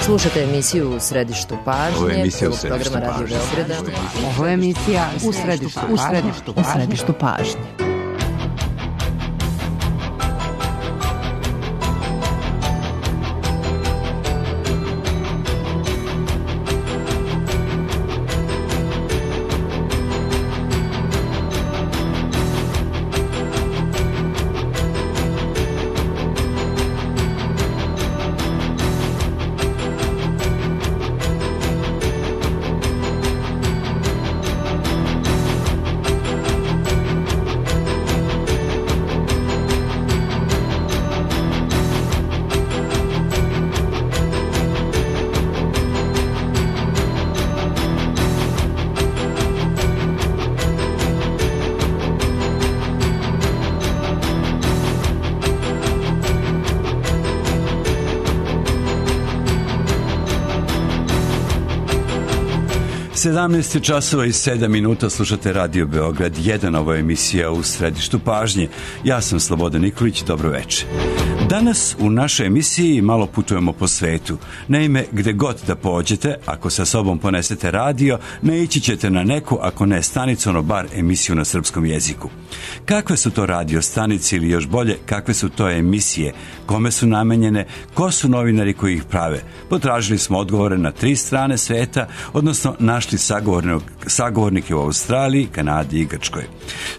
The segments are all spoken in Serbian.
Slušate emisiju U središtu pažnje. Ovo je emisija U središtu pažnje. Ovo je emisija U središtu pažnje. Sedamnaest časova i 7 minuta, slušate Radio Beograd 1, ovo je emisija U središtu pažnje. Ja sam Slobodan Nikolić, dobro večer. Danas u našoj emisiji malo putujemo po svetu. Naime, gde god da pođete, ako sa sobom ponesete radio, naići ćete na neku, ako ne stanicu, ono bar emisiju na srpskom jeziku. Kakve su to radio stanice ili još bolje, kakve su to emisije, kome su namenjene, ko su novinari koji ih prave? Potražili smo odgovore na 3 strane sveta, odnosno našli sagovornike u Australiji, Kanadi i Grčkoj.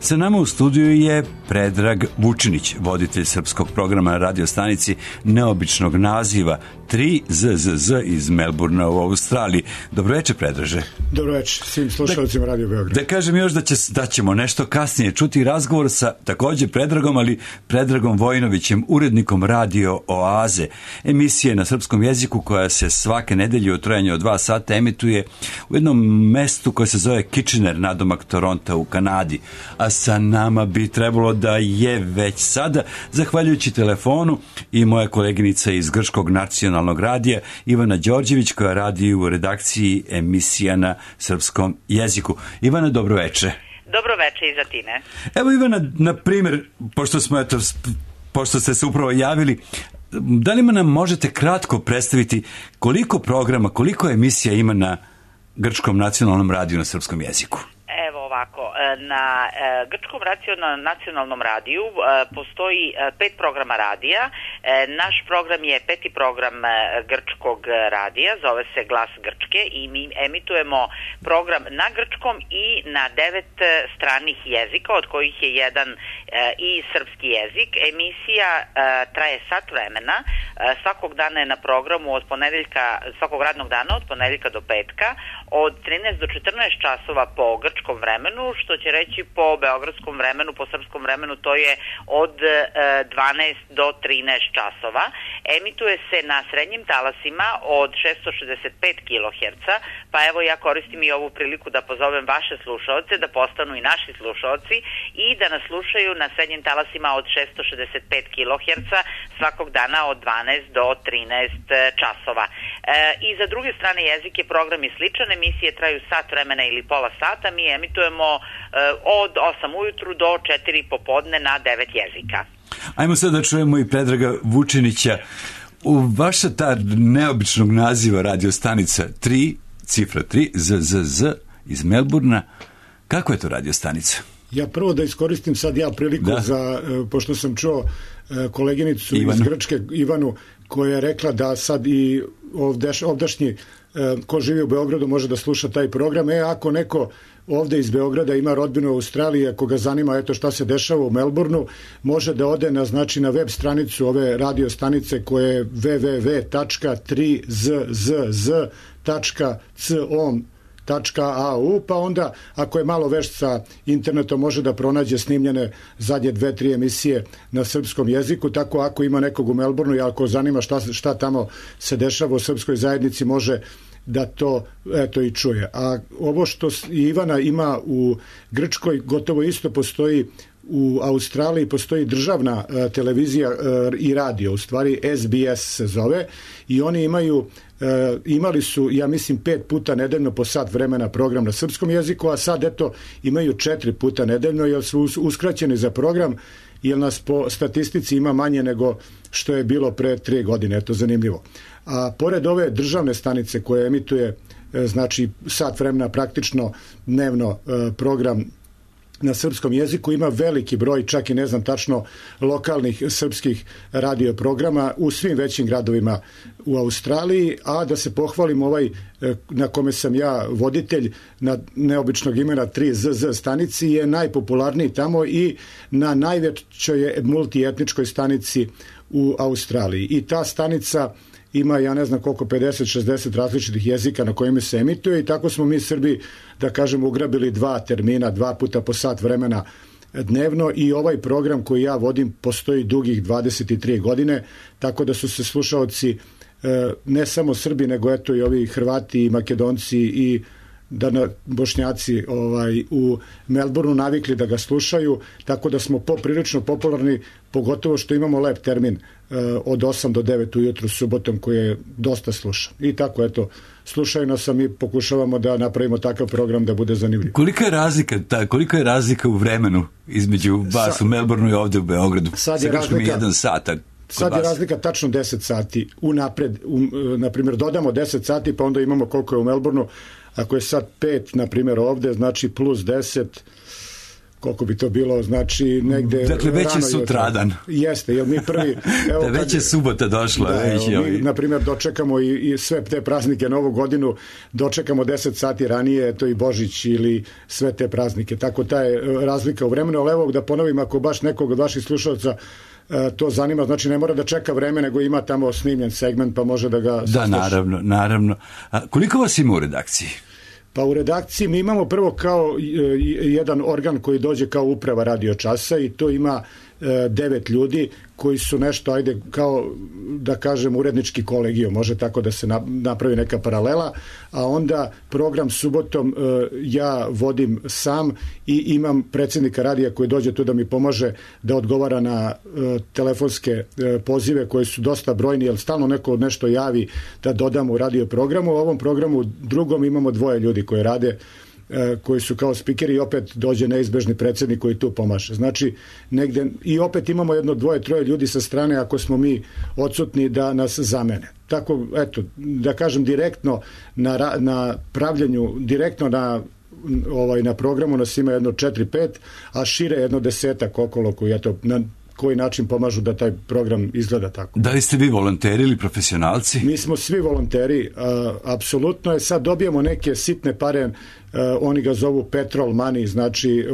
Sa nama u studiju je Predrag Vučinić, voditelj srpskog programa na radio stanici neobičnog naziva 3ZZZ iz Melburna u Australiji. Dobro večer, Predraže. Dobro večer svim slušalcima Radio Beograd. Da kažem još da ćemo nešto kasnije čuti razgovor sa također Predragom, ali Predragom Vojinovićem, urednikom Radio Oaze, emisije na srpskom jeziku koja se svake nedelje u trajanju od 2 sata emituje u jednom mestu koje se zove Kitchener, nadomak Toronta u Kanadi. A sa nama bi trebalo da je već sada, zahvaljujući telefonu, i moja koleginica iz Grčkog nacionalnog radija Ivana Đorđević, koja radi u redakciji emisija na srpskom jeziku. Ivana, dobro večer. Dobro večer i za tine. Evo, Ivana, na primjer, pošto ste se upravo javili, da li nam možete kratko predstaviti koliko programa, koliko emisija ima na Grčkom nacionalnom radiju na srpskom jeziku? Evo ovako, na Grčkom nacionalnom radiju postoji 5 programa radija. Naš program je 5. program grčkog radija, zove se Glas Grčke i mi emitujemo program na grčkom i na 9 stranih jezika, od kojih je jedan i srpski jezik. Emisija traje sat vremena, svakog dana je na programu svakog radnog dana od ponedeljka do petka, od 13 do 14 časova po grčkom vremenu, što će reći po beogradskom vremenu, po srpskom vremenu to je od 12 do 13 časova. Emituje se na srednjim talasima od 665 kHz, pa evo ja koristim i ovu priliku da pozovem vaše slušaoce da postanu i naši slušaoci i da nas slušaju na srednjim talasima od 665 kHz svakog dana od 12 do 13 časova. I za druge strane jezike program je sličan, emisije traju sat vremena ili pola sata, mi emitujemo od 8 ujutru do 4 popodne na 9 jezika. Ajmo sad da čujemo i Predraga Vučinića. U vaša ta neobičnog naziva radio stanica 3, cifra 3, ZZZ iz Melburna, kako je to radio stanica? Ja prvo da iskoristim sad priliku pošto sam čuo koleginicu iz Grčke, Ivanu, koja je rekla da sad i ovdašnji ko živi u Beogradu može da sluša taj program. Ako neko ovde iz Beograda ima rodbinu u Australiji, ako ga zanima šta se dešava u Melbourneu, može da ode na web stranicu ove radio stanice koje je www.3zz.com.au, pa onda ako je malo vešt sa internetom može da pronađe snimljene zadnje 2-3 emisije na srpskom jeziku. Tako ako ima nekog u Melbourneu i ako zanima šta tamo se dešava u srpskoj zajednici, može da to i čuje. A ovo što Ivana ima u Grčkoj gotovo isto postoji u Australiji, postoji državna televizija i radio, u stvari SBS se zove, i oni imali su, ja mislim, 5 puta nedeljno po sat vremena program na srpskom jeziku, a sad imaju 4 puta nedeljno, jer su uskraćeni za program jer nas po statistici ima manje nego što je bilo pre 3 godine, eto zanimljivo. A pored ove državne stanice koje emituje znači sat vremena praktično dnevno program na srpskom jeziku, ima veliki broj, čak i ne znam tačno, lokalnih srpskih radio programa u svim većim gradovima u Australiji, a da se pohvalim ovaj na kome sam ja voditelj na neobičnog imena 3ZZ stanici je najpopularniji tamo i na najvećoj multietničkoj stanici u Australiji. I ta stanica ima, ja ne znam koliko, 50-60 različitih jezika na kojima se emituje i tako smo mi Srbi, da kažem, ugrabili 2 termina, 2 puta po sat vremena dnevno i ovaj program koji ja vodim postoji dugih 23 godine, tako da su se slušaoci ne samo Srbi, nego eto i ovi Hrvati i Makedonci i Bošnjaci u Melbourneu navikli da ga slušaju, tako da smo poprilično popularni, pogotovo što imamo lep termin od 8 do 9 ujutru subotom koji je dosta slušan. I tako, eto, slušaju nas, a mi pokušavamo da napravimo takav program da bude zanimljiv. Kolika je razlika u vremenu između vas u Melbourneu i ovde u Beogradu? Sad je razlika tačno 10 sati unapred, na primjer dodamo 10 sati pa onda imamo koliko je u Melbourneu. Ako je sad 5, na primjer ovde, znači plus 10, koliko bi to bilo, znači negde... Dakle, već je sutradan. Jeste, jer mi prvi... Evo, već je subota došla. Mi, na primjer, dočekamo i sve te praznike, Novu godinu, dočekamo 10 sati ranije, to i Božić ili sve te praznike. Tako ta je razlika u vremenu, ali evo da ponovim, ako baš nekog od vaših slušalca to zanima, znači ne mora da čeka vreme, nego ima tamo snimljen segment, pa može da ga sasluša. Da, naravno. A koliko vas ima u redakciji? Pa u redakciji mi imamo prvo kao jedan organ koji dođe kao uprava radio časa i to ima 9 ljudi koji su nešto, ajde, kao da kažem urednički kolegijum, može tako da se napravi neka paralela, a onda program subotom ja vodim sam i imam predsjednika radija koji dođe tu da mi pomaže da odgovara na telefonske pozive koji su dosta brojni, jer stalno neko nešto javi da dodamo u radio programu. U ovom programu drugom imamo 2 ljudi koji rade, koji su kao spikeri i opet dođe neizbežni predsjednik koji tu pomaže. Znači, negde, i opet imamo 1, 2, 3 ljudi sa strane ako smo mi odsutni da nas zamene. Tako, eto, da kažem direktno na pravljenju, direktno na programu nas ima 4-5, a šire 10 okolo koji eto, na koji način pomažu da taj program izgleda tako. Da li ste vi volonteri ili profesionalci? Mi smo svi volonteri, apsolutno je. Sad dobijemo neke sitne pare, oni ga zovu petrol money, znači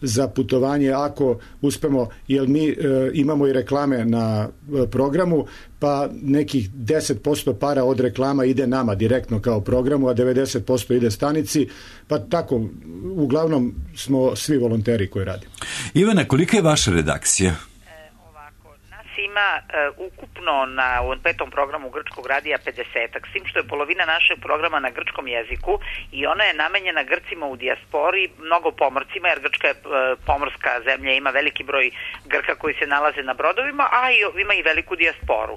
za putovanje ako uspemo, jer mi imamo i reklame na programu, pa nekih 10% para od reklama ide nama direktno kao programu, a 90% ide stanici, pa tako, uglavnom smo svi volonteri koji radimo. Ivana, kolika je vaša redakcija? Ima ukupno na ovom 5. programu Grčkog radija 50-ak, s tim što je polovina našeg programa na grčkom jeziku i ona je namenjena Grcima u dijaspori, mnogo pomorcima, jer Grčka je pomorska zemlja, ima veliki broj Grka koji se nalaze na brodovima, a ima i veliku dijasporu.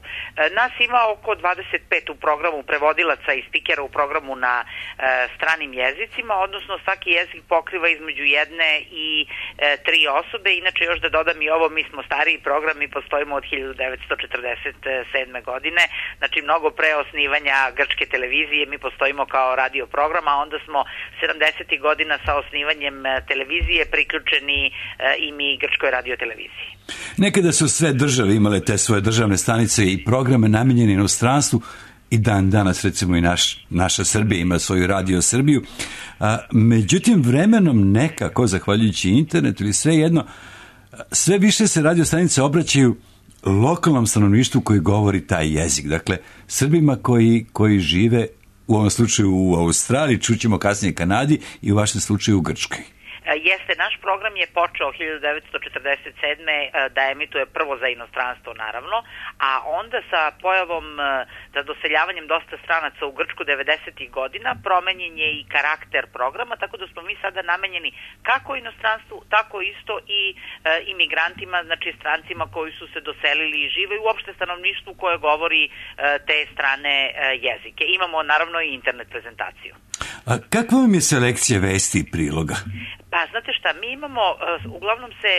Nas ima oko 25 u programu prevodilaca i spikera u programu na stranim jezicima, odnosno svaki jezik pokriva između 1 i 3 osobe. Inače, još da dodam i ovo, mi smo stariji program, mi postojimo od 1947. godine, znači mnogo pre osnivanja grčke televizije mi postojimo kao radio program, a onda smo 70. godina sa osnivanjem televizije priključeni i mi grčkoj radio televiziji. Nekada su sve države imale te svoje državne stanice i programe namenjene inostranstvu i danas recimo i naša Srbija ima svoju Radio Srbiju. Međutim, vremenom nekako, zahvaljujući internetu ili sve više se radio stanice obraćaju lokalnom stanovništvu koji govori taj jezik. Dakle, Srbima koji žive u ovom slučaju u Australiji, čućemo kasnije Kanadi i u vašem slučaju u Grčkoj. Jeste, naš program je počeo 1947. da emituje prvo za inostranstvo, naravno, a onda sa pojavom, za doseljavanjem dosta stranaca u Grčku 90. godina, promenjen je i karakter programa, tako da smo mi sada namenjeni kako inostranstvu, tako isto i imigrantima, znači strancima koji su se doselili i žive i uopšte stanovništvu koje govori te strane jezike. Imamo naravno i internet prezentaciju. A kakva vam je selekcija vesti i priloga? Pa znate šta, mi imamo, uglavnom se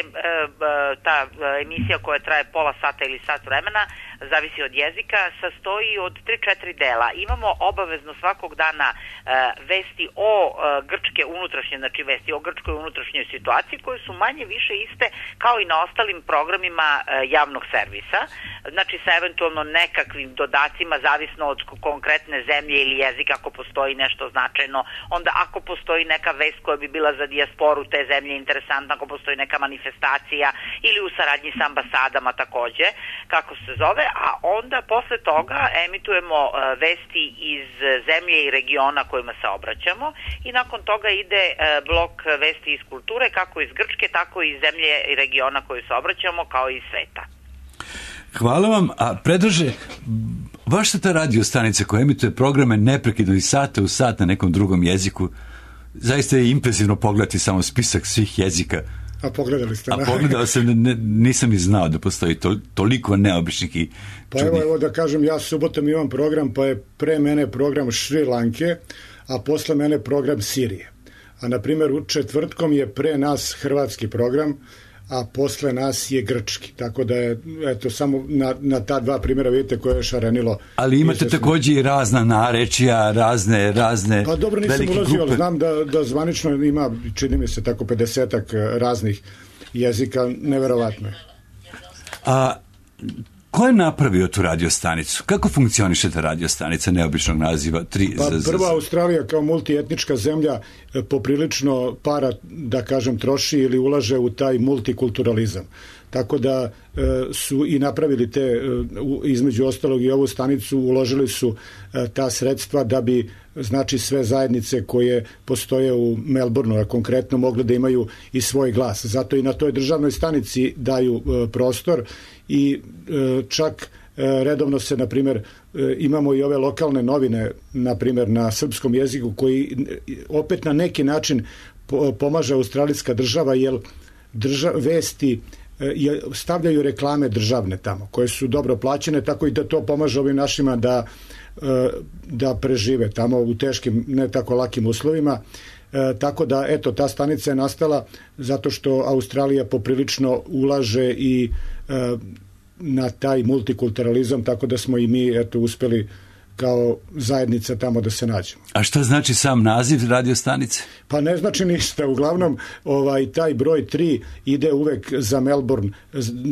ta emisija koja traje pola sata ili sat vremena, zavisi od jezika, sastoji od 3-4 dela. Imamo obavezno svakog dana vesti o grčke unutrašnje, znači vesti o grčkoj unutrašnjoj situaciji, koje su manje više iste kao i na ostalim programima javnog servisa, znači sa eventualno nekakvim dodacima, zavisno od konkretne zemlje ili jezika, ako postoji nešto značajno, onda ako postoji neka vest koja bi bila za dijasporu te zemlje interesantna, ako postoji neka manifestacija ili u saradnji sa ambasadama takođe, kako se zove, a onda posle toga emitujemo vesti iz zemlje i regiona kojima se obraćamo i nakon toga ide blok vesti iz kulture, kako iz Grčke, tako i iz zemlje i regiona koju se obraćamo, kao i iz sveta. Hvala vam, a Predraže, vaša ta radio stanica koja emituje programe neprekidno iz sata u sat na nekom drugom jeziku, zaista je impresivno pogledati samo spisak svih jezika. A pogledali ste? A pogledao sam, nisam i znao da postoji toliko neobičnih i čudnih. Pa evo da kažem, ja subotom imam program, pa je pre mene program Šri Lanke, a posle mene program Sirije. A na primjer u četvrtkom je pre nas hrvatski program, a posle nas je grčki. Tako da je, eto, samo na ta dva primjera vidite koje je šarenilo. Ali imate također i razna narečija, razne pa dobro, nisam ulazio, ali znam da zvanično ima, čini mi se tako 50-ak raznih jezika, neverovatno je. A ko je napravio tu radiostanicu? Kako funkcioniše ta radiostanica neobičnog naziva? Prva Australija kao multietnička zemlja poprilično para, da kažem, troši ili ulaže u taj multikulturalizam. Tako da su i napravili te, između ostalog i ovu stanicu, uložili su ta sredstva da bi, znači, sve zajednice koje postoje u Melbourneu, a konkretno mogle da imaju i svoj glas. Zato i na toj državnoj stanici daju prostor i čak redovno se, na primjer, imamo i ove lokalne novine, na primjer, na srpskom jeziku, koji opet na neki način pomaže australijska država, jer vesti stavljaju reklame državne tamo, koje su dobro plaćene, tako i da to pomaže ovim našima da prežive tamo u teškim, ne tako lakim uslovima. Tako da, eto, ta stanica je nastala zato što Australija poprilično ulaže i na taj multikulturalizam, tako da smo i mi, eto, uspeli kao zajednica tamo da se nađemo. A šta znači sam naziv radiostanice? Pa ne znači ništa. Uglavnom, taj broj 3 ide uvek za Melbourne.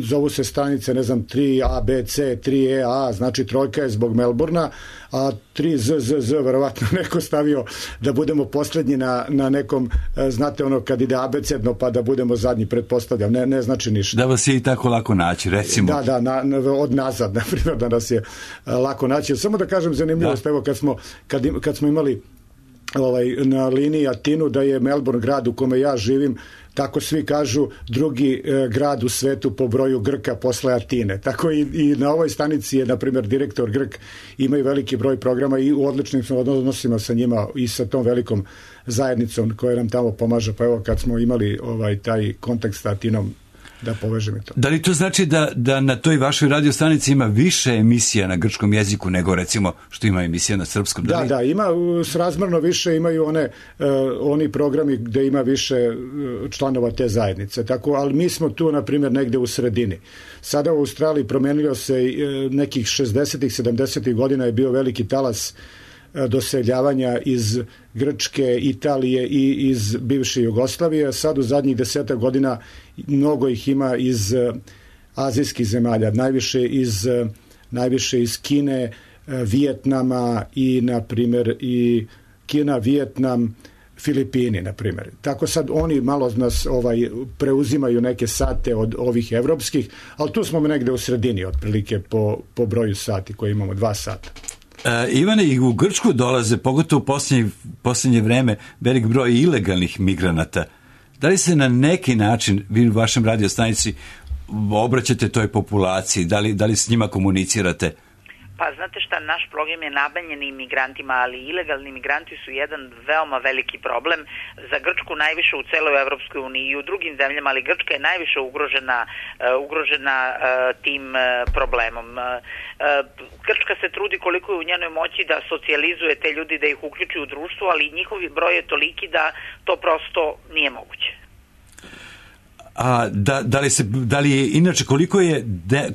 Zovu se stanice, ne znam, 3ABC, 3EA, znači trojka je zbog Melbournea, a 3ZZZ verovatno neko stavio da budemo posljednji na nekom, znate ono kad ide abecedno pa da budemo zadnji, pretpostavljam. Ne znači ništa. Da vas je i tako lako naći, recimo. Da, od nazad, na primjer, da nas je lako naći. Samo da kažem zanimljivost, evo kad smo imali na liniji Atinu, da je Melbourne grad u kome ja živim, tako svi kažu, drugi grad u svetu po broju Grka posle Atine. Tako i na ovoj stanici je, na primjer, direktor Grk, imaju veliki broj programa i u odličnim smo odnosima sa njima i sa tom velikom zajednicom koja nam tamo pomaže. Pa evo, kad smo imali taj kontakt sa Atinom, da povežem i to. Da li to znači da na toj vašoj radiostanici ima više emisija na grčkom jeziku nego, recimo, što ima emisija na srpskom? Da, ima srazmjerno više, imaju oni programi gde ima više članova te zajednice. Tako, ali mi smo tu, na primjer, negde u sredini. Sada u Australiji promenilo se nekih 60-ih, 70-ih godina je bio veliki talas doseljavanja iz Grčke, Italije i iz bivše Jugoslavije. Sad u zadnjih 10 godina mnogo ih ima iz azijskih zemalja, najviše iz Kine, Vijetnama i, na primjer, i Kina, Vijetnam, Filipini, na primjer. Tako sad oni malo nas preuzimaju neke sate od ovih evropskih, ali tu smo negde u sredini otprilike po broju sati koje imamo, 2 sata. Ivane, i u Grčku dolaze, pogotovo u posljednje vreme, velik broj ilegalnih migranata. Da li se na neki način, vi u vašem radiostanici, obraćate toj populaciji? Da li s njima komunicirate? Pa znate šta, naš program je namenjen imigrantima, ali ilegalni imigranti su jedan veoma veliki problem za Grčku, najviše u celoj Evropskoj uniji i u drugim zemljama, ali Grčka je najviše ugrožena tim problemom. Grčka se trudi koliko je u njenoj moći da socijalizuje te ljudi, da ih uključi u društvo, ali njihov broj je toliki da to prosto nije moguće. A da li je inače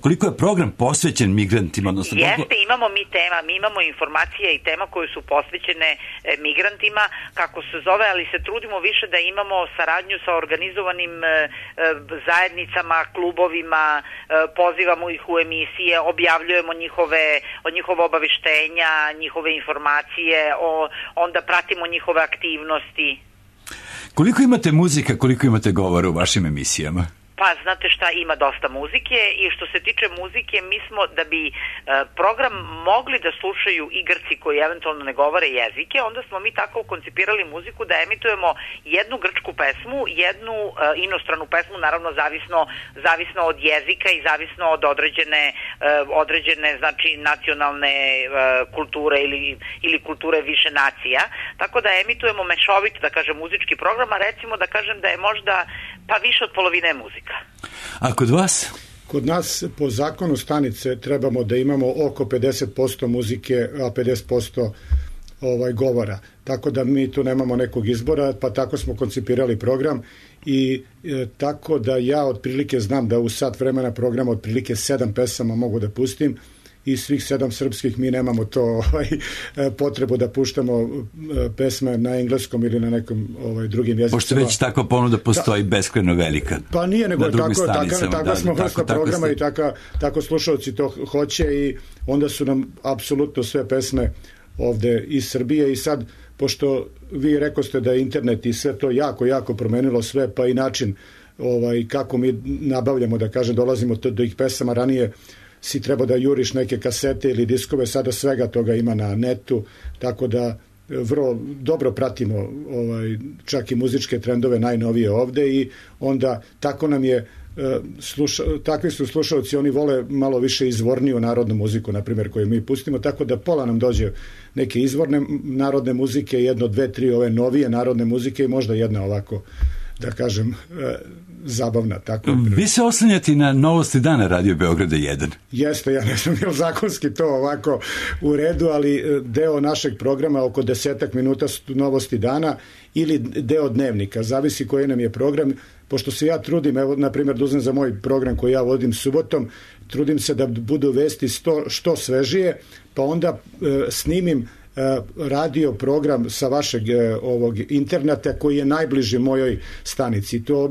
koliko je program posvećen migrantima? Jeste, imamo mi tema, mi imamo informacije i tema koje su posvećene migrantima, kako se zove, ali se trudimo više da imamo saradnju sa organizovanim zajednicama, klubovima, pozivamo ih u emisije, objavljujemo njihove obaveštenja, njihove informacije, onda pratimo njihove aktivnosti. Koliko imate muzika, koliko imate govora u vašim emisijama? Pa, znate šta, ima dosta muzike i što se tiče muzike, mi smo, da bi program mogli da slušaju i Grci koji eventualno ne govore jezike, onda smo mi tako koncipirali muziku da emitujemo jednu grčku pesmu, jednu inostranu pesmu, naravno zavisno od jezika i zavisno od određene znači nacionalne kulture ili kulture više nacija, tako da emitujemo mešovit, da kažem, muzički program, a recimo da kažem da je možda pa više od polovine muzika. A kod vas? Kod nas po zakonu stanice trebamo da imamo oko 50% muzike, a 50% govora. Tako da mi tu nemamo nekog izbora, pa tako smo koncipirali program i tako da ja otprilike znam da u sat vremena programa otprilike 7 pesama mogu da pustim i svih 7 srpskih mi nemamo to potrebu da puštamo pesme na engleskom ili na nekom drugim jezicima. Pošto već takva ponuda postoji beskrajno velika. Pa nije, nego tako smo vrsta programa i tako slušalci to hoće i onda su nam apsolutno sve pesme ovde iz Srbije i sad, pošto vi rekoste da je internet i sve to jako promenilo sve, pa i način kako mi nabavljamo, da kažem, dolazimo do ih pesama, ranije si treba da juriš neke kasete ili diskove, sada svega toga ima na netu, tako da vrlo dobro pratimo čak i muzičke trendove najnovije ovde i onda tako nam je takvi su slušalci, oni vole malo više izvorniju narodnu muziku, na primjer, koju mi pustimo, tako da pola nam dođe neke izvorne narodne muzike, 1, 2, 3 ove novije narodne muzike i možda jedna ovako, da kažem, zabavna. Tako. Vi se oslanjate na Novosti dana Radio Beograda 1. Jeste, ja ne znam je li zakonski to ovako u redu, ali deo našeg programa, oko 10 minuta su Novosti dana ili deo dnevnika, zavisi koji nam je program, pošto se ja trudim, evo, na primjer, da uzmem za moj program koji ja vodim subotom, trudim se da budu vesti što svežije, pa onda snimim radio program sa vašeg ovog interneta koji je najbliži mojoj stanici. To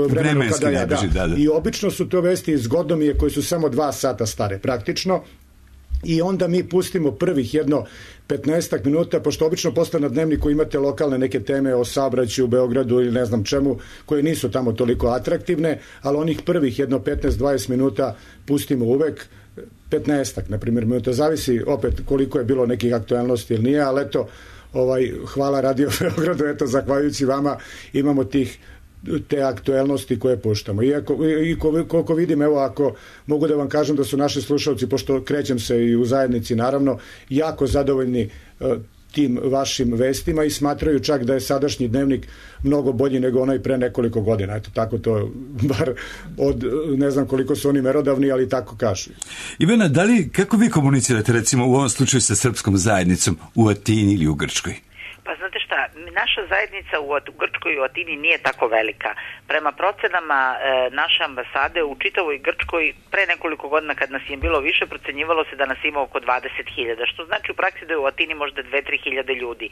vremenski kada najbliži, da. I obično su to vesti zgodno mi je koji su samo 2 sata stare praktično i onda mi pustimo prvih 15 minuta, pošto obično posle na dnevniku imate lokalne neke teme o saobraćaju u Beogradu ili ne znam čemu, koje nisu tamo toliko atraktivne, ali onih prvih 15-20 minuta pustimo uvek, 15, na primjer, minuta, zavisi opet koliko je bilo nekih aktualnosti ili nije, ali eto, hvala Radio Beogradu, eto, zahvaljujući vama imamo te aktuelnosti koje puštamo. I koliko vidim, evo, ako mogu da vam kažem da su naši slušalci, pošto krećem se i u zajednici, naravno, jako zadovoljni tim vašim vestima i smatraju čak da je sadašnji dnevnik mnogo bolji nego onaj pre nekoliko godina. Eto, tako to, bar od, ne znam koliko su oni merodavni, ali tako kažu. Ivana, kako vi komunicirate, recimo, u ovom slučaju sa srpskom zajednicom u Atini ili u Grčkoj? Pa znate šta, naša zajednica u Grčkoj i u Atini nije tako velika. Prema procenama naše ambasade u čitavoj Grčkoj pre nekoliko godina kad nas je bilo više, procenjivalo se da nas ima oko 20.000, što znači u praksi da je u Atini možda 2-3 hiljade ljudi.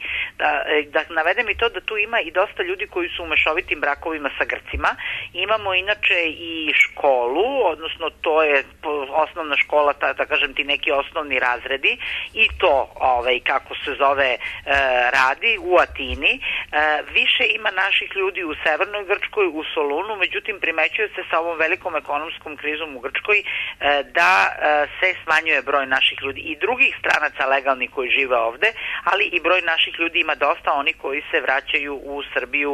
Da navedem i to da tu ima i dosta ljudi koji su u mešovitim brakovima sa Grcima. Imamo inače i školu, odnosno to je osnovna škola, da kažem ti neki osnovni razredi i to, kako se zove, radi u Atini. Više ima naših ljudi u severnoj Grčkoj, u Solunu, međutim primećuje se sa ovom velikom ekonomskom krizom u Grčkoj da se smanjuje broj naših ljudi i drugih stranaca legalnih koji žive ovde, ali i broj naših ljudi ima dosta, oni koji se vraćaju u Srbiju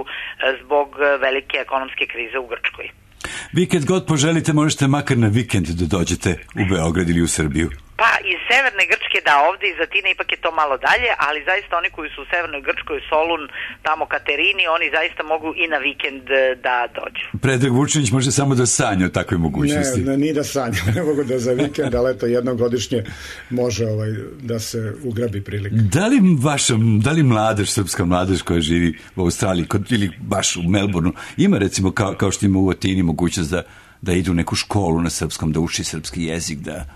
zbog velike ekonomske krize u Grčkoj. Vi kad god poželite možete makar na vikend da dođete u Beograd ili u Srbiju. Pa iz severne Grčke, da, ovde iz Atine ipak je to malo dalje, ali zaista oni koji su u severnoj Grčkoj, Solun, tamo Katerini, oni zaista mogu i na vikend da dođu. Predrag Vučinić može samo da sanja o takvoj mogućnosti. Ne, ni da sanja, ne mogu da za vikend, ali eto jednogodišnje može da se ugrabi prilika. Da li mladež, srpska mladež koja živi u Australiji ili baš u Melbourneu, ima recimo kao što ima u Atini mogućnost da idu u neku školu na srpskom, da uči srpski jezik, da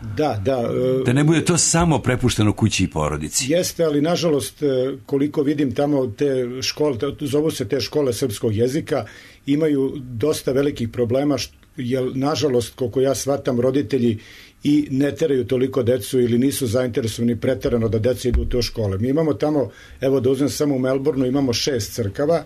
ne bude to samo prepušteno kući i porodici. Jeste, ali nažalost, koliko vidim tamo te škole, zovu se te škole srpskog jezika, imaju dosta velikih problema, jer nažalost, koliko ja shvatam, roditelji i ne teraju toliko decu ili nisu zainteresovani preterano da deca idu u te škole. Mi imamo tamo, evo da uzmem samo u Melbourneu, imamo 6 crkava,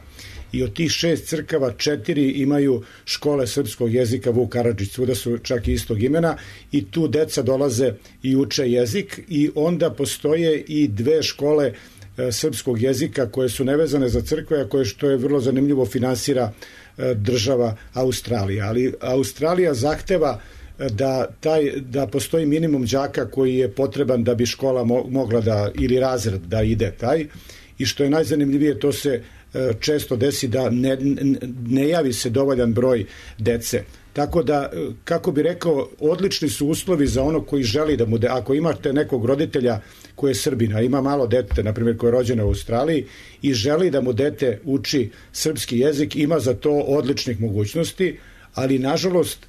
i od tih 6 crkava 4 imaju škole srpskog jezika Vuk Karadžić, svuda su čak i istog imena, i tu deca dolaze i uče jezik, i onda postoje i 2 škole srpskog jezika koje su nevezane za crkve, a koje, što je vrlo zanimljivo, finansira država Australija. Ali Australija zahteva da postoji minimum đaka koji je potreban da bi škola mogla da, ili razred da ide taj, i što je najzanimljivije, to se često desi da ne javi se dovoljan broj dece. Tako da, kako bi rekao, odlični su uslovi za ono koji želi da mu ako imate nekog roditelja koji je Srbin, a ima malo dete, na primjer, koje je rođeno u Australiji i želi da mu dete uči srpski jezik, ima za to odličnih mogućnosti, ali nažalost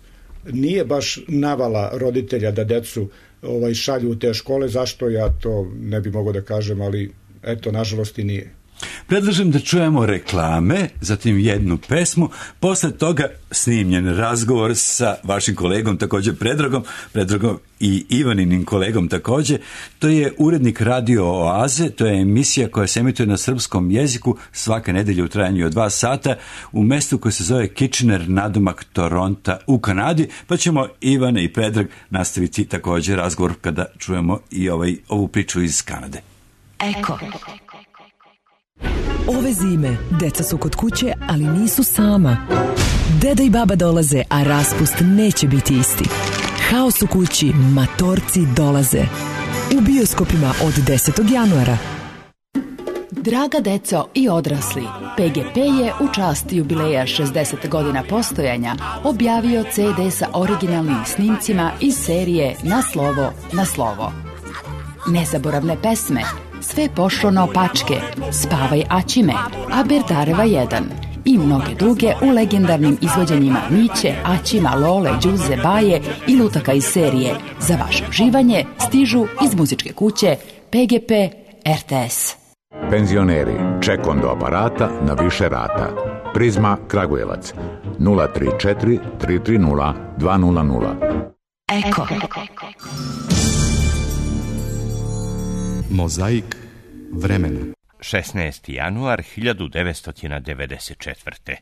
nije baš navala roditelja da decu šalju u te škole. Zašto, ja to ne bi mogao da kažem, ali eto, nažalost i nije. Predlažem da čujemo reklame, zatim jednu pesmu, posle toga snimljen razgovor sa vašim kolegom, također Predragom i Ivaninim kolegom također. To je urednik Radio Oaze, to je emisija koja se emituje na srpskom jeziku svake nedelje u trajanju od 2 sata u mestu koje se zove Kitchener, nadomak Toronta u Kanadi, pa ćemo Ivana i Predrag nastaviti također razgovor kada čujemo i ovu priču iz Kanade. Eko. Ove zime, deca su kod kuće, ali nisu sama. Deda i baba dolaze, a raspust neće biti isti. Haos u kući, matorci dolaze. U bioskopima od 10. januara. Draga deco i odrasli, PGP je u čast jubileja 60 godina postojanja objavio CD sa originalnim snimcima iz serije Na slovo, na slovo. Nezaboravne pesme, Sve pošlo naopačke, Spavaj Aćime, Aberdareva 1 i mnoge druge u legendarnim izvođenjima Miće, Aćima, Lole, Đuze, Baje i lutaka iz serije. Za vaše uživanje stižu iz muzičke kuće PGP RTS. Penzioneri, ček do aparata na više rata. Prizma Kragujevac 034 330 200. Eko. Mozaik vremena. 16. januar 1994.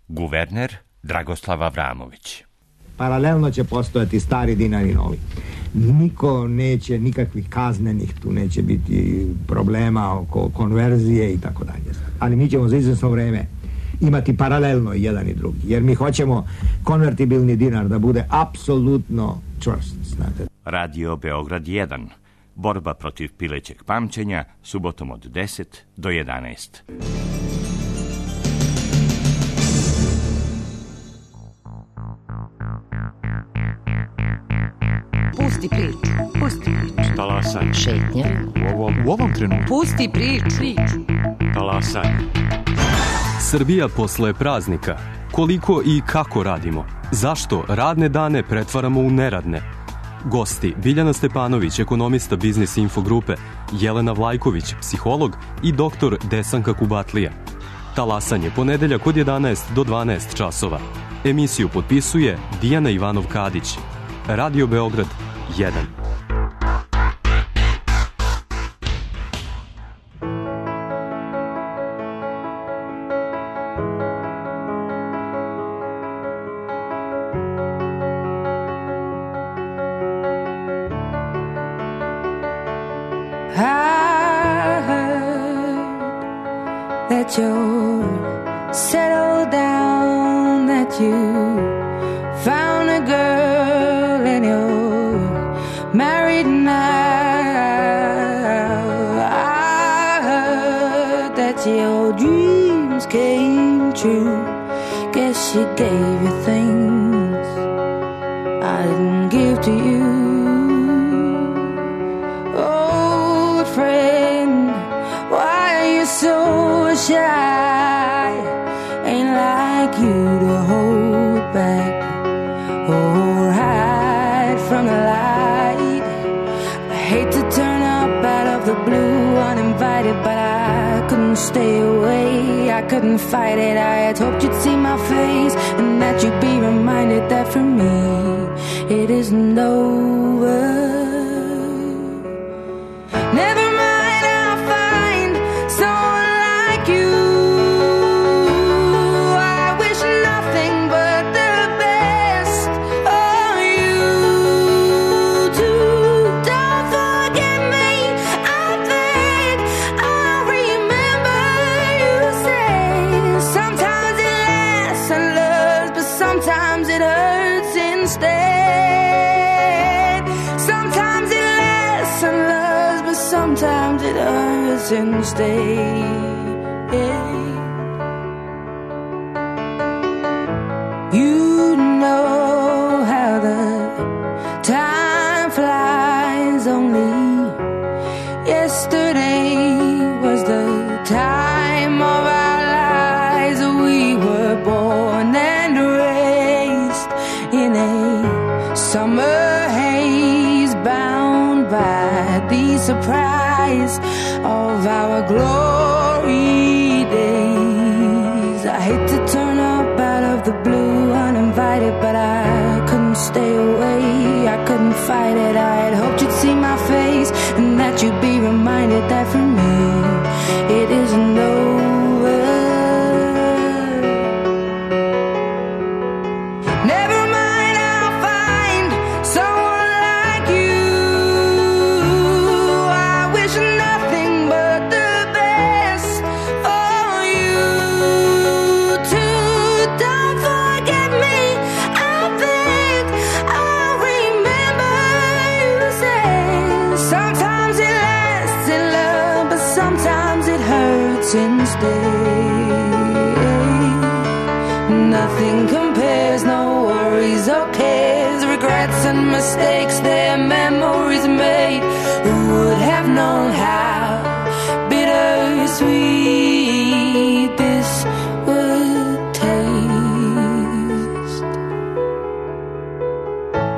Guverner Dragoslav Avramović. Paralelno će postojati stari dinar i novi. Niko neće, nikakvih kaznenih, tu neće biti problema oko konverzije i tako dalje. Ali mi ćemo za izvesno vreme imati paralelno jedan i drugi, jer mi hoćemo konvertibilni dinar da bude apsolutno čvrst, znate. Radio Beograd 1. Borba protiv pilećeg pamćenja, subotom od 10 do 11. Pusti priču. Talasaj. Šetnja. U ovom trenutku. Pusti priču. Talasaj. Srbija posle praznika. Koliko i kako radimo? Zašto radne dane pretvaramo u neradne? Gosti Biljana Stepanović, ekonomista Biznis Info grupe, Jelena Vlajković, psiholog i doktor Desanka Kubatlija. Talasanje ponedeljak od 11 do 12 časova. Emisiju potpisuje Dijana Ivanov-Kadić. Radio Beograd 1. That you settled down, that you found a girl and you're married now. true. Guess she gave you things I didn't give to you. Old friend, why are you so shy? Ain't like you to hold back or hide from the light. I hate to turn up out of the blue uninvited, but I couldn't stay away. I couldn't fight it. I had hoped you'd see my face and that you'd be reminded that for me it isn't over. Never mind, I'll find someone like you. I wish nothing but the best for you too. Don't forget me, I think I'll remember you say sometimes it lasts and loves, but sometimes it hurts instead. Sometimes it lasts and loves, but sometimes it hurts instead. You know how the time flies. Only yesterday was the time of our lives. We were born and raised in a summer haze, bound by the surprise of our glory days. I hate to turn up out of the blue uninvited, but I couldn't stay away. I couldn't fight it. I had hoped you'd see my face and that you'd be reminded that for me it isn't over. Never mind, I'll find someone like you. I wish nothing but the best for you too. Don't forget me, I think I'll remember you say sometimes it lasts in love, but sometimes it hurts instead. Nothing compares, no worries or cares, regrets and mistakes, their memories made. Who would have known how bittersweet this would taste?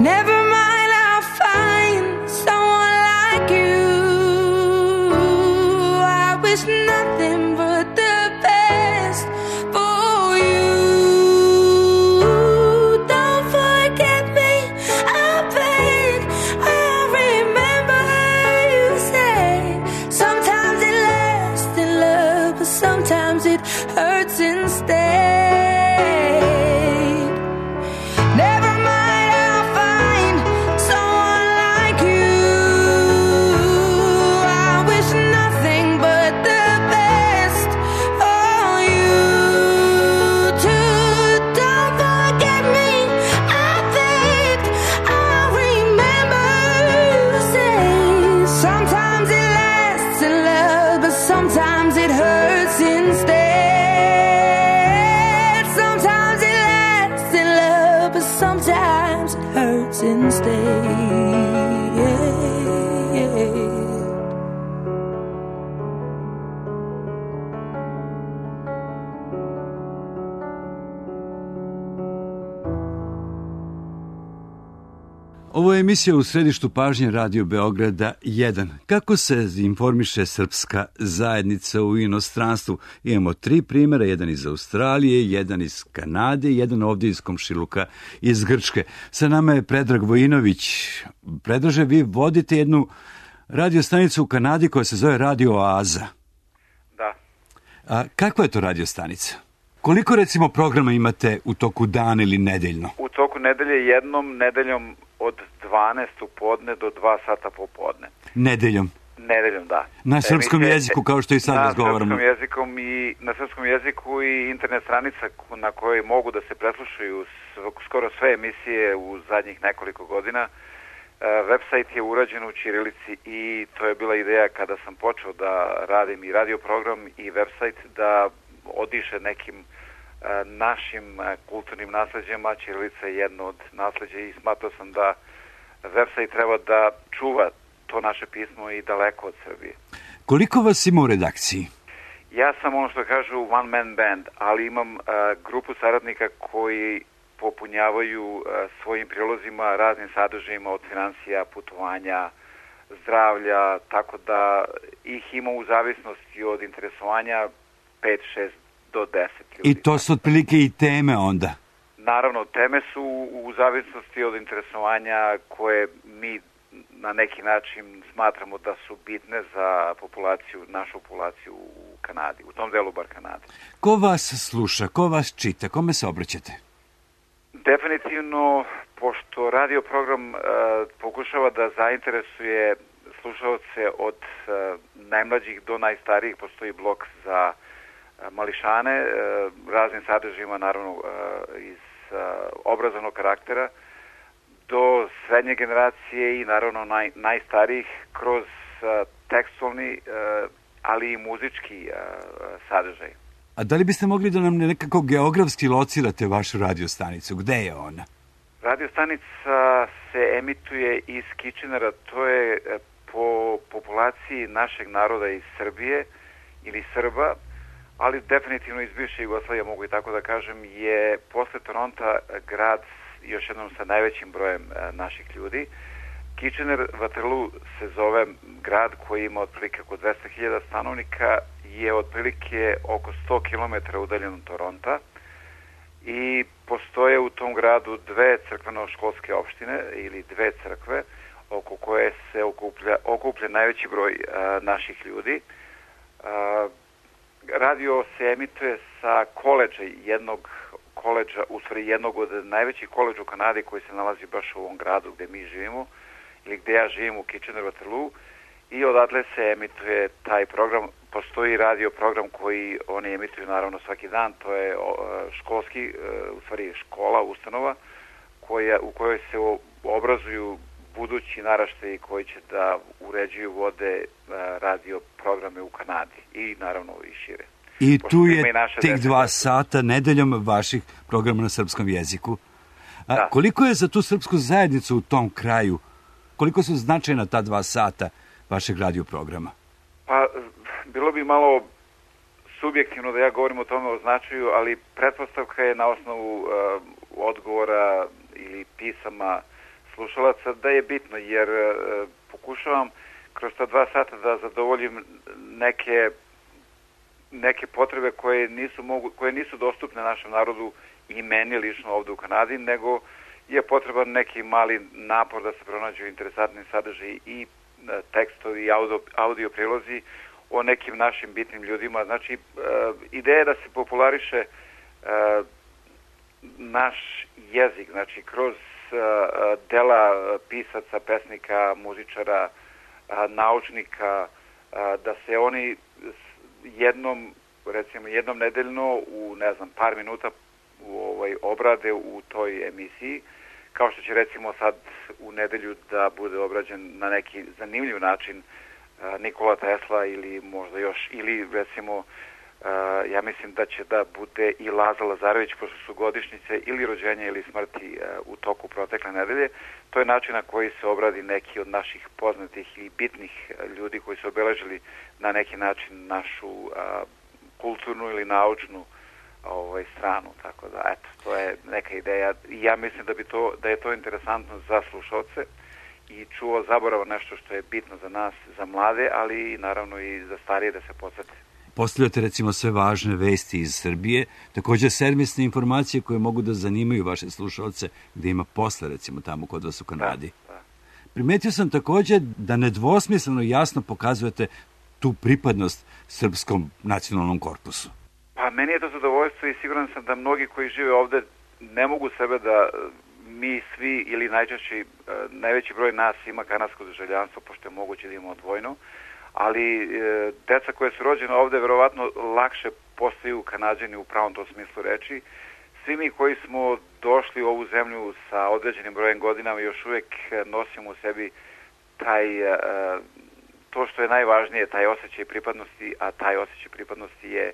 Never mind, I'll find someone like you. I wish nothing but the best for you. Don't forget me, I think I'll remember you say sometimes it lasts in love, but sometimes it hurts instead. Never mind, I'll find someone like you. I wish nothing but the best for you too. Don't forget me, I think I'll remember you say sometimes it lasts in love, but sometimes it hurts instead. Sometimes it lasts in love, but sometimes it hurts instead. Ovo je emisija u središtu pažnje Radio Beograda 1. Kako se informiše srpska zajednica u inostranstvu? Imamo 3 primjera, jedan iz Australije, jedan iz Kanade i jedan ovdje iz komšiluka iz Grčke. Sa nama je Predrag Vojinović. Predraže, vi vodite jednu radio stanicu u Kanadi koja se zove Radio Oaza. Da. A kakva je to radio stanica? Koliko recimo programa imate u toku dana ili nedeljno? U toku nedelje jednom nedeljom od 12 u podne do 2 sata popodne. Nedeljom? Nedeljom, da. Na srpskom jeziku, kao što i sad razgovaramo. Na srpskom jeziku i internet stranica na kojoj mogu da se preslušaju skoro sve emisije u zadnjih nekoliko godina. Website je urađen u ćirilici i to je bila ideja kada sam počeo da radim i radio program i website da odiše nekim našim kulturnim nasleđem, a ćirilica je jedno od nasleđa i smatrao sam da website treba da čuva to naše pismo i daleko od Srbije. Koliko vas ima u redakciji? Ja sam ono što kažu one man band, ali imam grupu saradnika koji popunjavaju svojim prilozima raznim sadržajima od financija, putovanja, zdravlja, tako da ih ima u zavisnosti od interesovanja 5, 6 do 10 ljudi. I to su otprilike i teme onda? Naravno, teme su u zavisnosti od interesovanja koje mi na neki način smatramo da su bitne za populaciju, našu populaciju u Kanadi, u tom delu bar Kanade. Ko vas sluša, ko vas čita, kome se obraćate? Definitivno, pošto radio program pokušava da zainteresuje slušalce od najmlađih do najstarijih, postoji blok za mališane, raznim sadržajima, naravno iz obrazovnog karaktera, do srednje generacije i naravno najstarijih kroz tekstualni, ali i muzički sadržaj. A da li biste mogli da nam nekako geografski locirate vašu radiostanicu? Gde je ona? Radiostanica se emituje iz Kitchenera, to je po populaciji našeg naroda iz Srbije ili Srba, ali definitivno iz bivše Jugoslavije, mogu i tako da kažem, je posle Toronta grad još jednom sa najvećim brojem naših ljudi. Kitchener, Waterloo se zove grad koji ima otprilike oko 200.000 stanovnika, je otprilike oko 100 km udaljen od Toronta i postoje u tom gradu dve crkveno-školske opštine ili dve crkve oko koje se okuplja najveći broj naših ljudi. Radio se emituje sa koledža, jednog od najvećih koledža u Kanadi koji se nalazi baš u ovom gradu gde mi živimo ili gde ja živim u Kitchener-Waterloo i odatle se emituje taj program. Postoji radio program koji oni emituju naravno svaki dan, to je školski, u stvari škola, ustanova u kojoj se obrazuju budući naraštaji koji će da uređuju vode radio programe u Kanadi i naravno i šire. I tu je tih 2 sata nedeljom vaših programa na srpskom jeziku. Da. Koliko je za tu srpsku zajednicu u tom kraju, koliko su značajna ta 2 sata vašeg radio programa? Pa, bilo bi malo subjektivno da ja govorim o tome o značaju, ali pretpostavka je na osnovu odgovora ili pisama slušalaca da je bitno, jer pokušavam kroz ta 2 sata da zadovoljim neke potrebe koje nisu dostupne našem narodu i meni lično ovde u Kanadi, nego je potreban neki mali napor da se pronađu interesantni sadržaji i tekstovi i audio prilozi o nekim našim bitnim ljudima. Znači, ideja je da se populariše naš jezik, znači kroz dela pisaca, pesnika, muzičara, naučnika, da se oni jednom nedeljno u, par minuta obrade u toj emisiji, kao što će recimo sad u nedelju da bude obrađen na neki zanimljiv način Nikola Tesla ili možda još, ili recimo ja mislim da će da bude i Laza Lazarević, pošto su godišnjice ili rođenja ili smrti u toku protekle nedelje. To je način na koji se obradi neki od naših poznatih i bitnih ljudi koji su obeležili na neki način našu kulturnu ili naučnu stranu, tako da eto, to je neka ideja i ja mislim da je to interesantno za slušalce i čuo zaborava nešto što je bitno za nas, za mlade, ali naravno i za starije da se podsjete. Postavljate recimo sve važne vesti iz Srbije, također servisne informacije koje mogu da zanimaju vaše slušalce gde ima posle recimo tamo kod vas u Kanadi. Da. Primetio sam također da nedvosmisleno jasno pokazujete tu pripadnost srpskom nacionalnom korpusu. Pa meni je to zadovoljstvo i siguran sam da mnogi koji žive ovde ne mogu sebe da mi svi ili najveći broj nas ima kanadsko državljanstvo, pošto je moguće da imamo dvojno, ali deca koje su rođene ovde verovatno lakše postaju Kanađani u pravom tom smislu reči. Svi mi koji smo došli u ovu zemlju sa određenim brojem godinama još uvek nosimo u sebi to što je najvažnije, taj osjećaj pripadnosti, a taj osjećaj pripadnosti je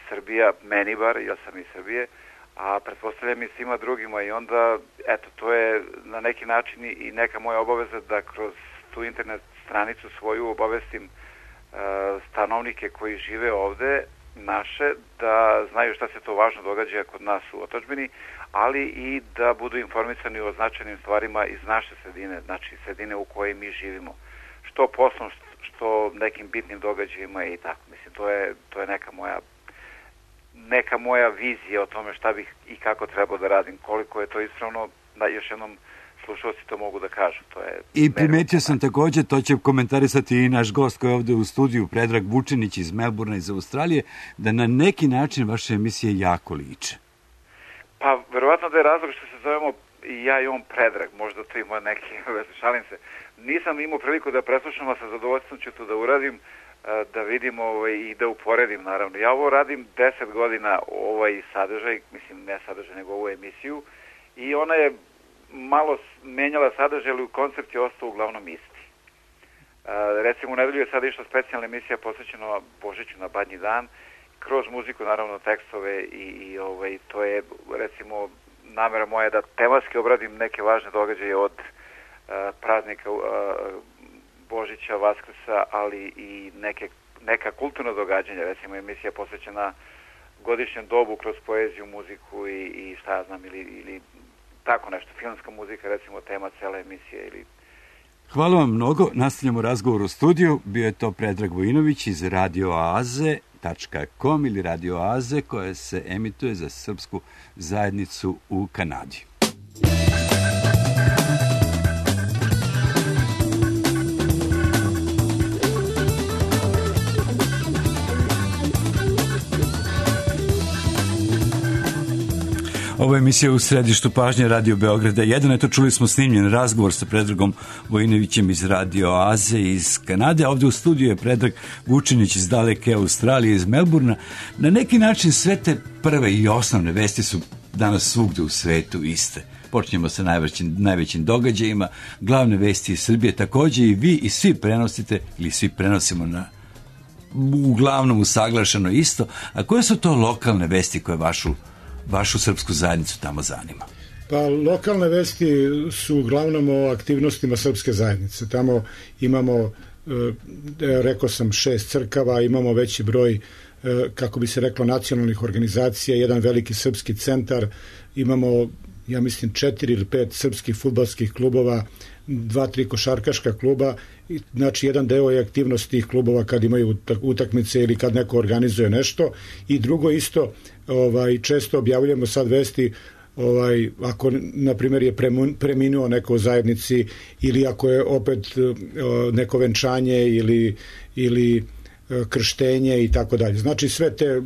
Srbija, meni bar, ja sam iz Srbije, a pretpostavljam i svima drugima i onda, eto, to je na neki način i neka moja obaveza da kroz tu internet stranicu svoju obavestim stanovnike koji žive ovde, naše, da znaju šta se to važno događa kod nas u otadžbini, ali i da budu informisani o značajnim stvarima iz naše sredine, znači sredine u kojoj mi živimo. Što poslom, što nekim bitnim događajima i tako. Mislim, to je neka moja vizija o tome šta bih i kako trebao da radim. Koliko je to ispravno, da još jednom slušalci to mogu da kažu. I primetio sam takođe, to će komentarisati i naš gost koji je ovde u studiju, Predrag Vučinić iz Melburna iz Australije, da na neki način vaše emisije jako liče. Pa, verovatno da je razlog što se zovemo i ja i on Predrag, možda to ima neki, šalim se. Nisam imao priliku da preslušam, a sa zadovoljstvom ću to da uradim, da vidim i da uporedim, naravno. Ja ovo radim 10 godina, ovaj sadržaj, mislim ne sadržaj, nego ovu emisiju, i ona je malo menjala sadržaj, ali koncept je ostao uglavnom isti. Recimo, u nedelju je sada išla specijalna emisija posvećena Božiću na Badnji dan, kroz muziku, naravno, tekstove i to je, recimo, namera moja da tematski obradim neke važne događaje od praznika Božića, Vaskrsa, ali i neka kulturna događanja, recimo emisija posvećena godišnjem dobu kroz poeziju, muziku i šta ja znam, ili tako nešto, filmska muzika, recimo tema cele emisije. Hvala vam mnogo, nastavljamo razgovor u studiju, bio je to Predrag Vojinović iz radioaze.com ili Radio Aze, koja se emituje za srpsku zajednicu u Kanadi. Ovo je emisija U središtu pažnje Radio Beograda 1. Eto, čuli smo snimljen razgovor sa Predragom Vojinovićem iz Radio Aze iz Kanade. Ovde u studiju je Predrag Vučinić iz daleke Australije, iz Melburna. Na neki način sve te prve i osnovne vesti su danas svugde u svetu iste. Počinjemo sa najvećim događajima. Glavne vesti iz Srbije takođe i vi i svi prenosite ili svi prenosimo uglavnom usaglašeno isto. A koje su to lokalne vesti koje vašu srpsku zajednicu tamo zanima? Pa lokalne vesti su uglavnom o aktivnostima srpske zajednice. Tamo imamo, rekao sam, 6 crkava, imamo veći broj, kako bi se reklo, nacionalnih organizacija, jedan veliki srpski centar, imamo, ja mislim, 4 ili 5 srpskih fudbalskih klubova, 2-3 košarkaška kluba. Znači, jedan deo je aktivnost tih klubova kad imaju utakmice ili kad neko organizuje nešto. I drugo isto, često objavljujemo sad vesti, ako na primjer je preminuo neko u zajednici ili ako je opet neko venčanje ili krštenje i tako dalje. Znači, sve te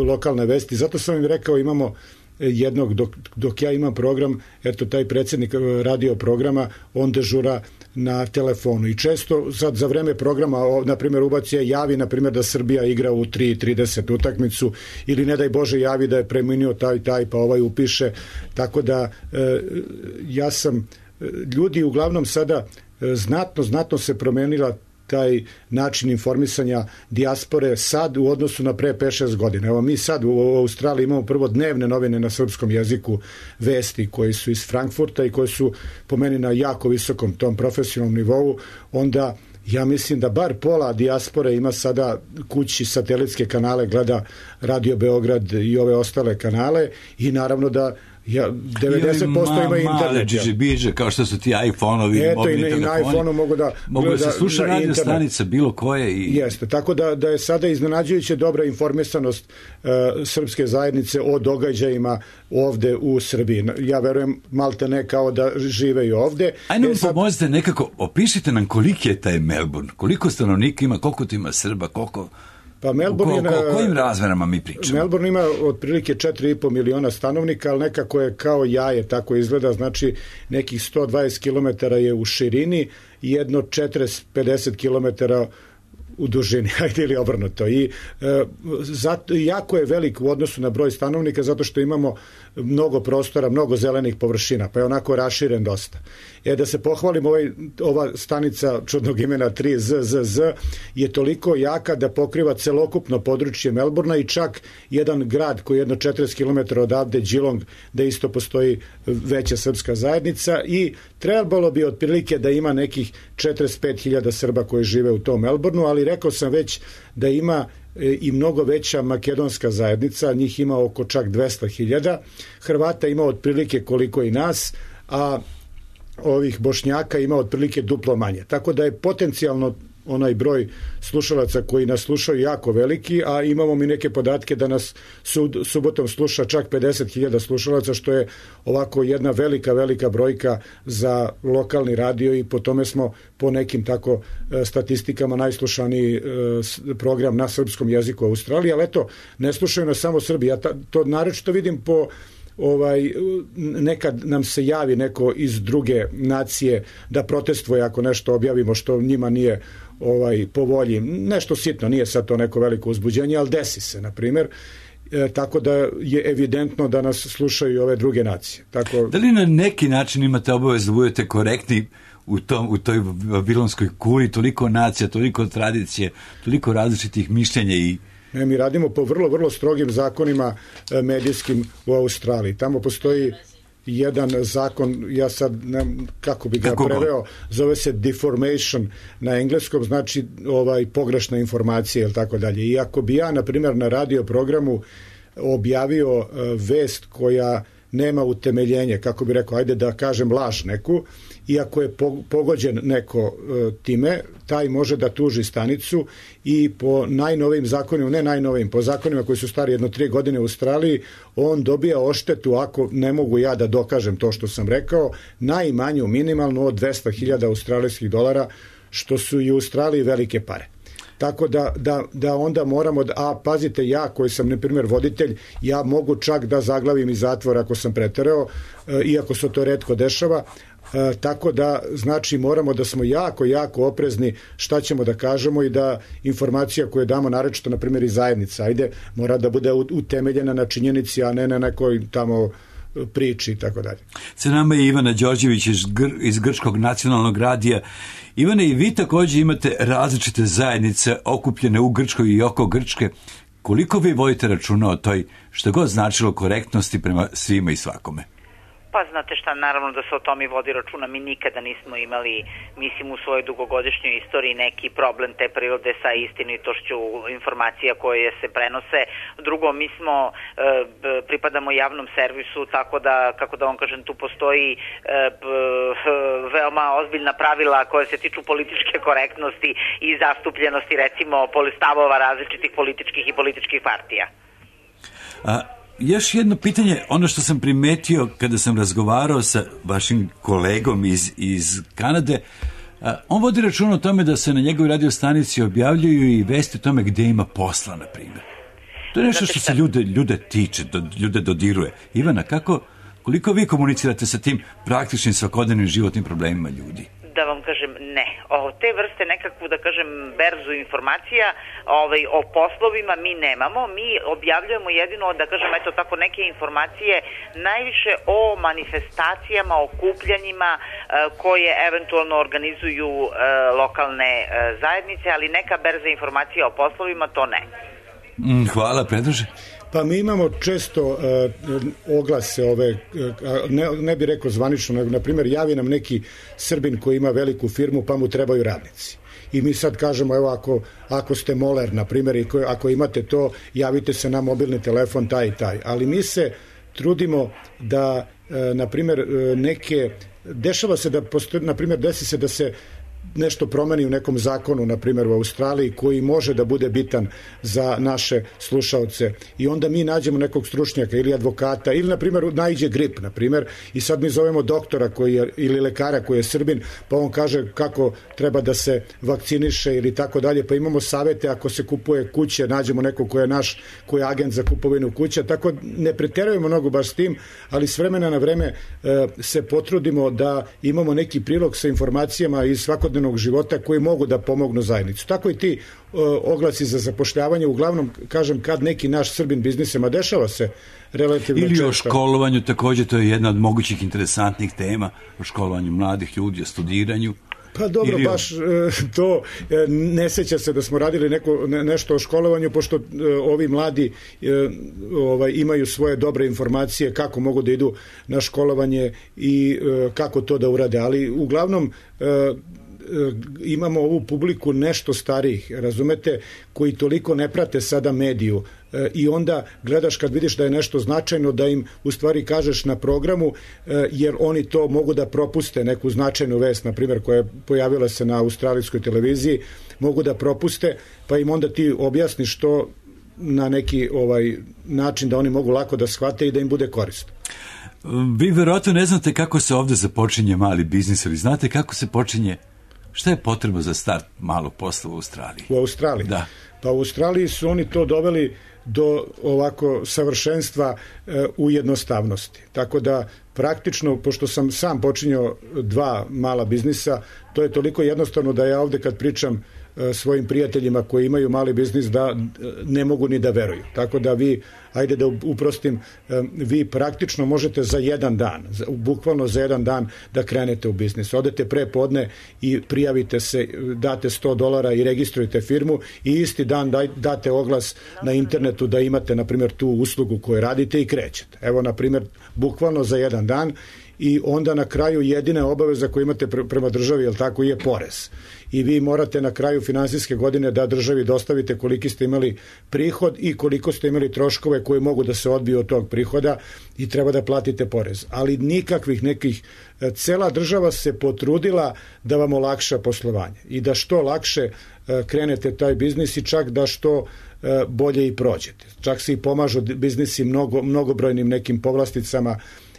lokalne vesti. Zato sam im rekao, imamo jednog, dok ja imam program, eto, taj predsjednik radio programa, on dežura na telefonu i često sad za vreme programa, na primjer, ubaci javi, na primjer, da Srbija igra u 3:30 utakmicu ili ne daj Bože javi da je preminuo taj pa upiše, tako da ljudi uglavnom sada znatno se promenila taj način informisanja dijaspore sad u odnosu na pre 5-6 godina. Evo, mi sad u Australiji imamo prvo dnevne novine na srpskom jeziku, vesti koji su iz Frankfurta i koji su po meni na jako visokom tom profesionalnom nivou. Onda ja mislim da bar pola dijaspore ima sada kući satelitske kanale, gleda Radio Beograd i ove ostale kanale i naravno da 90% ima internet. Male džiđe, kao što su ti iPhone-ovi, mobilni telefoni. Eto, i na iPhone-u mogu da se sluša radio stanica bilo koje. Jeste, tako da je sada iznenađujuće dobra informisanost srpske zajednice o događajima ovde u Srbiji. Ja verujem malte ne kao da žive i ovde. Ajde nam pomozite nekako, opišite nam koliki je taj Melbourne, koliko stanovnika ima, koliko tu ima Srba, koliko... Pa Melbourne kojim razmerama mi pričamo? Melbourne ima otprilike 4,5 miliona stanovnika, ali nekako je kao jaje, tako izgleda, znači nekih 120 km je u širini i jedno 40-50 km u dužini, ajde ili obrnuto. I jako je velik u odnosu na broj stanovnika, zato što imamo mnogo prostora, mnogo zelenih površina, pa je onako raširen dosta. Da se pohvalim, ova stanica čudnog imena 3ZZZ je toliko jaka da pokriva celokupno područje Melbourna i čak jedan grad koji je jedno 40 km odavde, Geelong, da isto postoji veća srpska zajednica i trebalo bi otprilike da ima nekih 45.000 Srba koji žive u tom Melbourneu, ali rekao sam već da ima i mnogo veća makedonska zajednica, njih ima oko čak 200.000, Hrvata ima otprilike koliko i nas, a ovih Bošnjaka ima otprilike duplo manje. Tako da je potencijalno onaj broj slušalaca koji nas slušaju jako veliki, a imamo mi neke podatke da nas subotom sluša čak 50.000 slušalaca, što je ovako jedna velika brojka za lokalni radio i po tome smo po nekim tako statistikama najslušaniji program na srpskom jeziku u Australiji, ali eto, ne slušaju nas samo Srbi. Ja to naročito vidim po nekad nam se javi neko iz druge nacije da protestvuje ako nešto objavimo što njima nije po volji. Nešto sitno, nije sad to neko veliko uzbuđenje, ali desi se, na primjer. Tako da je evidentno da nas slušaju i ove druge nacije. Da li na neki način imate obavezu da budete korektni u toj babilonskoj kuli, toliko nacija, toliko tradicije, toliko različitih mišljenja i... Ne, mi radimo po vrlo strogim zakonima medijskim u Australiji. Tamo postoji jedan zakon, ja sad kako bi ga preveo, zove se deformation na engleskom, znači pogrešna informacija ili tako dalje. I ako bi ja, na primjer, na radio programu objavio vest koja nema utemeljenje, kako bi rekao, ajde da kažem laž neku, i ako je pogođen neko time, taj može da tuži stanicu i po najnovijim zakonima, ne najnovijim, po zakonima koji su stari 1-3 godine u Australiji, on dobija odštetu, ako ne mogu ja da dokažem to što sam rekao, najmanju minimalno od 200.000 australijskih dolara, što su i u Australiji velike pare. Tako da onda moramo, pazite, ja koji sam, na primjer, voditelj, ja mogu čak da zaglavim iz zatvora ako sam preterao, iako se to retko dešava, tako da, znači, moramo da smo jako oprezni šta ćemo da kažemo i da informacija koju damo, naročito, na primjer, iz zajednica, mora da bude utemeljena na činjenici, a ne na nekoj tamo priči i tako dalje. Sa nama je Ivana Đorđević iz Grčkog nacionalnog radija. Ivane, i vi također imate različite zajednice okupljene u Grčkoj i oko Grčke. Koliko vi vodite računa o toj, što god značilo, korektnosti prema svima i svakome? Pa znate šta, naravno da se o tome vodi računa. Mi nikada nismo imali, mislim, u svojoj dugogodišnjoj istoriji neki problem te prirode sa istinitošću informacija koje se prenose. Drugo, mi smo, pripadamo javnom servisu, tako da, kako da vam kažem, tu postoji veoma ozbiljna pravila koje se tiču političke korektnosti i zastupljenosti, recimo, stavova različitih političkih i političkih partija. Još jedno pitanje, ono što sam primetio kada sam razgovarao sa vašim kolegom iz Kanade, on vodi račun o tome da se na njegovoj radio stanici objavljuju i vesti o tome gdje ima posla, na primjer. To je nešto što se ljude tiče, ljude dodiruje. Ivana, koliko vi komunicirate sa tim praktičnim svakodnevnim životnim problemima ljudi? Da vam kažem, ne. Te vrste nekakvu, da kažem, berzu informacija o poslovima mi nemamo. Mi objavljujemo jedino, da kažem, eto tako, neke informacije najviše o manifestacijama, okupljanjima koje eventualno organizuju lokalne zajednice, ali neka berza informacija o poslovima, to ne. Hvala, Predraže. Pa mi imamo često oglase ne bi rekao zvanično, nego, na primjer, javi nam neki Srbin koji ima veliku firmu pa mu trebaju radnici. I mi sad kažemo, evo, ako ste moler, na primjer, i ako imate to, javite se na mobilni telefon taj i taj. Ali mi se trudimo da, na primjer, dešava se da, na primjer, desi se da se nešto promeni u nekom zakonu, na primjer u Australiji, koji može da bude bitan za naše slušaoce, i onda mi nađemo nekog stručnjaka ili advokata, ili, na primjer, naiđe grip, na primjer, i sad mi zovemo doktora ili lekara koji je Srbin, pa on kaže kako treba da se vakciniše ili tako dalje, pa imamo savete ako se kupuje kuće, nađemo nekog ko je naš, koji je agent za kupovinu kuća, tako ne preterujemo mnogo baš s tim, ali s vremena na vreme se potrudimo da imamo neki prilog sa informacijama iz svakodnevnog svakodnevnog života koji mogu da pomognu zajednicu. Tako i ti oglasi za zapošljavanje, uglavnom, kažem, kad neki naš Srbin biznisema, dešava se relativno često. Ili o školovanju, također, to je jedna od mogućih interesantnih tema, o školovanju mladih ljudi, o studiranju. Pa dobro, baš to ne seća se da smo radili nešto o školovanju, pošto ovi mladi imaju svoje dobre informacije kako mogu da idu na školovanje i kako to da urade, ali uglavnom imamo ovu publiku nešto starijih, razumete, koji toliko ne prate sada mediju i onda gledaš kad vidiš da je nešto značajno da im u stvari kažeš na programu, jer oni to mogu da propuste, neku značajnu vest, na primjer, koja je pojavila se na australijskoj televiziji, mogu da propuste, pa im onda ti objasniš to na neki način da oni mogu lako da shvate i da im bude korisno. Vi verovatno ne znate kako se ovdje započinje mali biznis, ali znate kako se počinje. Šta je potrebno za start malog posla u Australiji? U Australiji? Da. Pa u Australiji su oni to doveli do ovako savršenstva u jednostavnosti. Tako da praktično, pošto sam sam počinjao 2 mala biznisa, to je toliko jednostavno da ja ovdje kad pričam svojim prijateljima koji imaju mali biznis da ne mogu ni da veruju. Tako da vi, ajde da uprostim, vi praktično možete za jedan dan, bukvalno za jedan dan da krenete u biznis. Odete pre podne i prijavite se, date $100 i registrujete firmu i isti dan date oglas na internetu da imate, na primjer, tu uslugu koju radite i krećete. Evo, na primjer, bukvalno za jedan dan i onda na kraju jedina obaveza koju imate prema državi, jel tako, je porez. I vi morate na kraju finansijske godine da državi dostavite koliki ste imali prihod i koliko ste imali troškove koji mogu da se odbiju od tog prihoda i treba da platite porez. Ali nikakvih nekih, cela država se potrudila da vam olakša poslovanje i da što lakše krenete taj biznis i čak da što bolje i prođete. Čak se i pomažu biznisi mnogobrojnim nekim povlasticama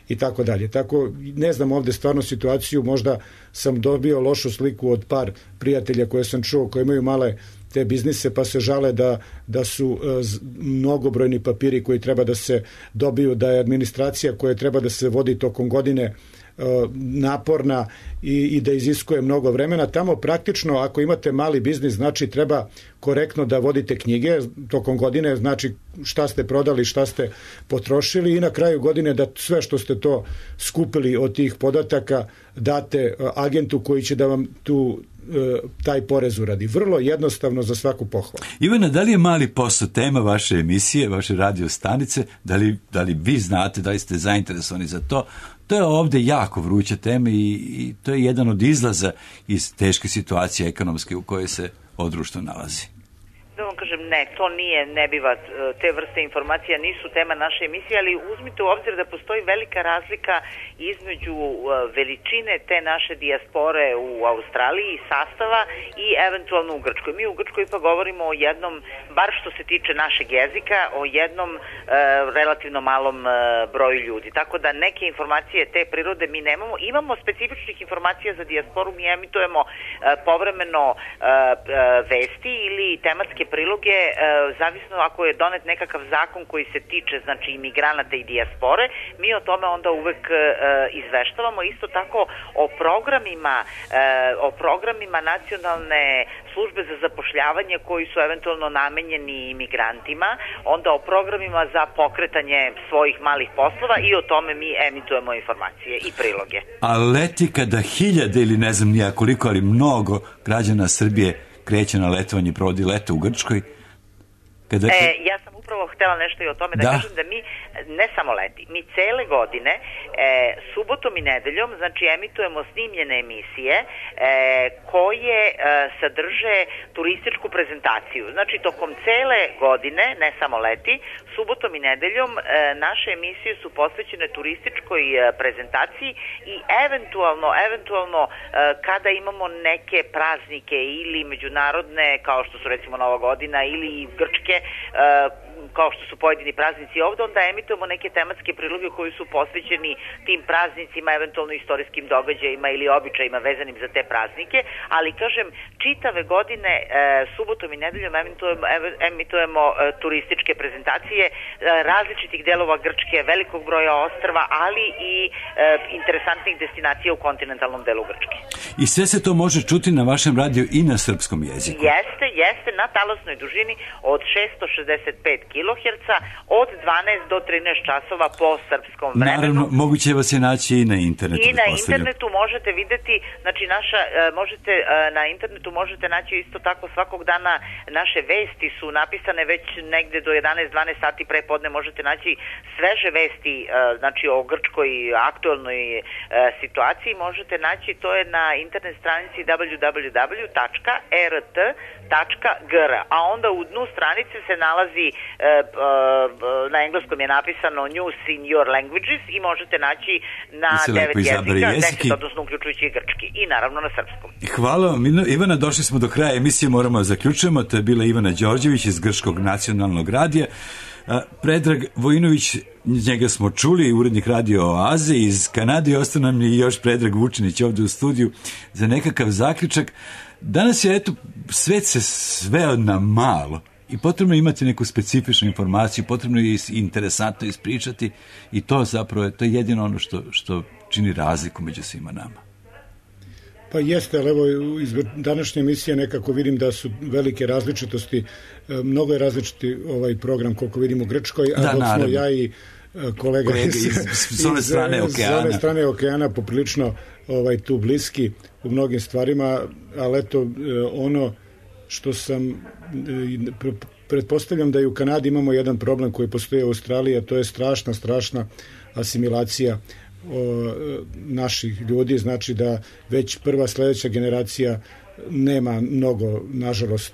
i tako dalje. Tako, ne znam ovdje stvarno situaciju, možda sam dobio lošu sliku od par prijatelja koje sam čuo, koji imaju male te biznise, pa se žale da su mnogobrojni papiri koji treba da se dobiju, da je administracija koja treba da se vodi tokom godine naporna i da iziskuje mnogo vremena. Tamo praktično, ako imate mali biznis, znači treba korektno da vodite knjige tokom godine, znači šta ste prodali, šta ste potrošili i na kraju godine da sve što ste to skupili od tih podataka date agentu koji će da vam taj porez uradi. Vrlo jednostavno, za svaku pohvalu. Ivana, da li je mali posao tema vaše emisije, vaše radio stanice? Da li vi znate, da li ste zainteresovani za to? To je ovdje jako vruća tema i to je jedan od izlaza iz teške situacije ekonomske u kojoj se društvo nalazi. Da vam kažem, ne, to ne biva, te vrste informacija nisu tema naše emisije, ali uzmite u obzir da postoji velika razlika između veličine te naše dijaspore u Australiji, sastava i eventualno u Grčkoj. Mi u Grčkoj pa govorimo o jednom, bar što se tiče našeg jezika, o jednom relativno malom broju ljudi. Tako da neke informacije te prirode mi nemamo. Imamo specifičnih informacija za dijasporu, mi emitujemo povremeno vesti ili tematske priloge, zavisno ako je donet nekakav zakon koji se tiče, znači, imigranata i dijaspore, mi o tome onda uvek izveštavamo. Isto tako o programima nacionalne službe za zapošljavanje koji su eventualno namenjeni imigrantima, onda o programima za pokretanje svojih malih poslova i o tome mi emitujemo informacije i priloge. A leti kada hiljade ili ne znam nija koliko, ali mnogo građana Srbije kreće na letovanje, provodi leto u Grčkoj. Ja sam upravo htjela nešto i o tome da kažem da mi ne samo leti, mi cele godine subotom i nedeljom, znači, emitujemo snimljene emisije koje sadrže turističku prezentaciju. Znači, tokom cele godine, ne samo leti, subotom i nedeljom naše emisije su posvećene turističkoj prezentaciji i eventualno kada imamo neke praznike ili međunarodne, kao što su recimo Nova godina ili grčke, kao što su pojedini praznici ovde, onda emitujemo neke tematske priloge koji su posvećeni tim praznicima, eventualno istorijskim događajima ili običajima vezanim za te praznike, ali kažem, čitave godine subotom i nedeljom emitujemo turističke prezentacije različitih delova Grčke, velikog broja ostrva, ali i interesantnih destinacija u kontinentalnom delu Grčke. I sve se to može čuti na vašem radiju i na srpskom jeziku? Jeste, na talasnoj dužini od 665 kHz od 12 do 13 časova po srpskom vremenu. Naravno, moguće vas je naći i na internetu. I na internetu možete videti, znači na internetu možete naći isto tako svakog dana naše vesti su napisane već negde do 11-12 sati pre podne, možete naći sveže vesti, znači o grčkoj aktualnoj situaciji možete naći, to je na internet stranici www.rt.gr, a onda u dnu stranice se nalazi, na engleskom je napisano News in your languages i možete naći na 9 jezika, 10, odnosno uključujući i grčki i naravno na srpskom. Hvala vam, Ivana, došli smo do kraja emisije, moramo zaključujemo, to je bila Ivana Đorđević iz Grčkog nacionalnog radija. Predrag Vojinović, njega smo čuli, urednik Radio Oaze iz Kanade, ostao nam je još Predrag Vučinić ovde u studiju za nekakav zaključak. Danas je, svet se sveo na malo i potrebno je imati neku specifičnu informaciju, potrebno je interesantno ispričati i to zapravo to je jedino ono što čini razliku među svima nama. Pa jeste, ali evo iz današnje emisije nekako vidim da su velike različitosti, mnogo je različiti ovaj program koliko vidim u Grčkoj, a dok smo ja i kolega s one strane okeana poprilično tu bliski u mnogim stvarima, ali eto ono što sam pretpostavljam da i u Kanadi imamo jedan problem koji postoji u Australiji, a to je strašna asimilacija naših ljudi, znači da već prva sledeća generacija nema mnogo, nažalost,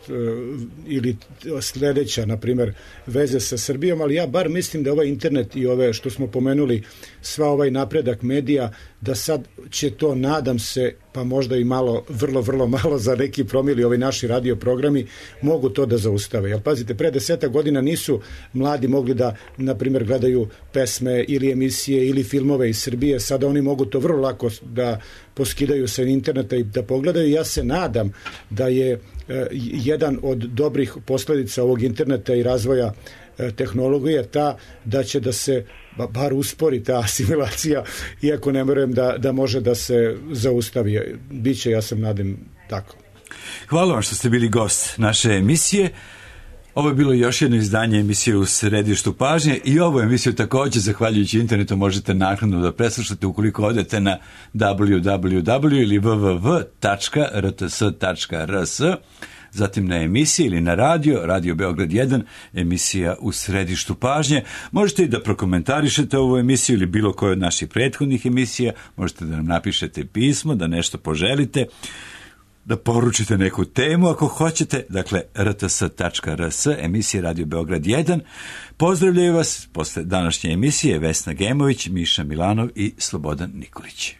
ili sledeća, na primer, veze sa Srbijom, ali ja bar mislim da ovaj internet i ove što smo pomenuli, sva ovaj napredak medija, da sad će to, nadam se, pa možda i malo, vrlo malo za neki promili ovi naši radio programi, mogu to da zaustave. Jer pazite, pre 10 godina nisu mladi mogli da, na primjer, gledaju pesme ili emisije ili filmove iz Srbije, sada oni mogu to vrlo lako da poskidaju sa interneta i da pogledaju. Ja se nadam da je jedan od dobrih posledica ovog interneta i razvoja tehnologije ta da će da se bar uspori ta asimilacija, iako ne verujem da može da se zaustavi. Biće, ja sam nadam, tako. Hvala vam što ste bili gost naše emisije. Ovo je bilo još jedno izdanje emisije U središtu pažnje i ovu emisiju također, zahvaljujući internetu, možete naknadno da preslušate ukoliko odete na www ili www.rts.rs, zatim na emisiji ili na Radio Beograd 1, emisija U središtu pažnje. Možete i da prokomentarišete ovu emisiju ili bilo koju od naših prethodnih emisija, možete da nam napišete pismo, da nešto poželite, da poručite neku temu ako hoćete, dakle rts.rs, emisija Radio Beograd 1. Pozdravljaju vas posle današnje emisije Vesna Gemović, Miša Milanov i Slobodan Nikolić.